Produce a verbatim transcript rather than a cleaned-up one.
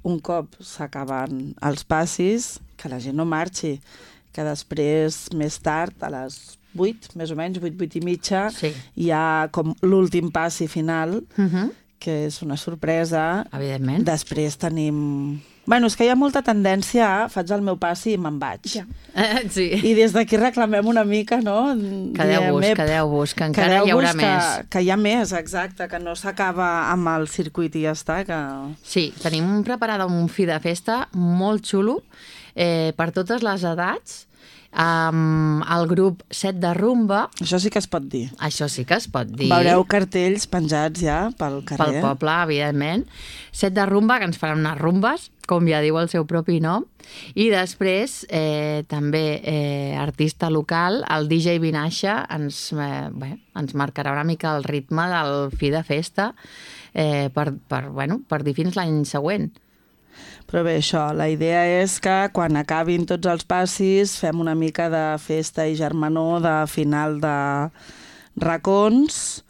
un cop s'acaben els passis, que la gent no marxi, que després, més tard, a les vuit, més o menys, vuit, vuit i mitja, Sí. hi ha com l'últim passi final, Mhm. que és una sorpresa. Evidentment. Després tenim... Bueno, és que hi ha molta tendència a faig el meu passi i me'n vaig. Ja. Eh, sí. I des d'aquí reclamem una mica, no? Quedeu-vos, Diem, "Ep, quedeu-vos, que encara hi haurà quedeu-vos més. Que, que hi ha més, exacte, que no s'acaba amb el circuit i ja està. Que... Sí, tenim preparada un fi de festa molt xulo eh, per totes les edats, amb el grup Set de Rumba. Això sí que es pot dir. Això sí que es pot dir. Veureu cartells penjats ja pel Pel carrer. poble, evidentment. Set de Rumba, que ens faran unes rumbes, com ja diu el seu propi nom. I després, eh, també eh, artista local, el D J Vinaixa, ens, eh, bé, ens marcarà una mica el ritme del fi de festa eh, per, per, bueno, per dir fins l'any següent. Però bé, això, la idea és que quan acabin tots els passis fem una mica de festa i germanor de final de racons,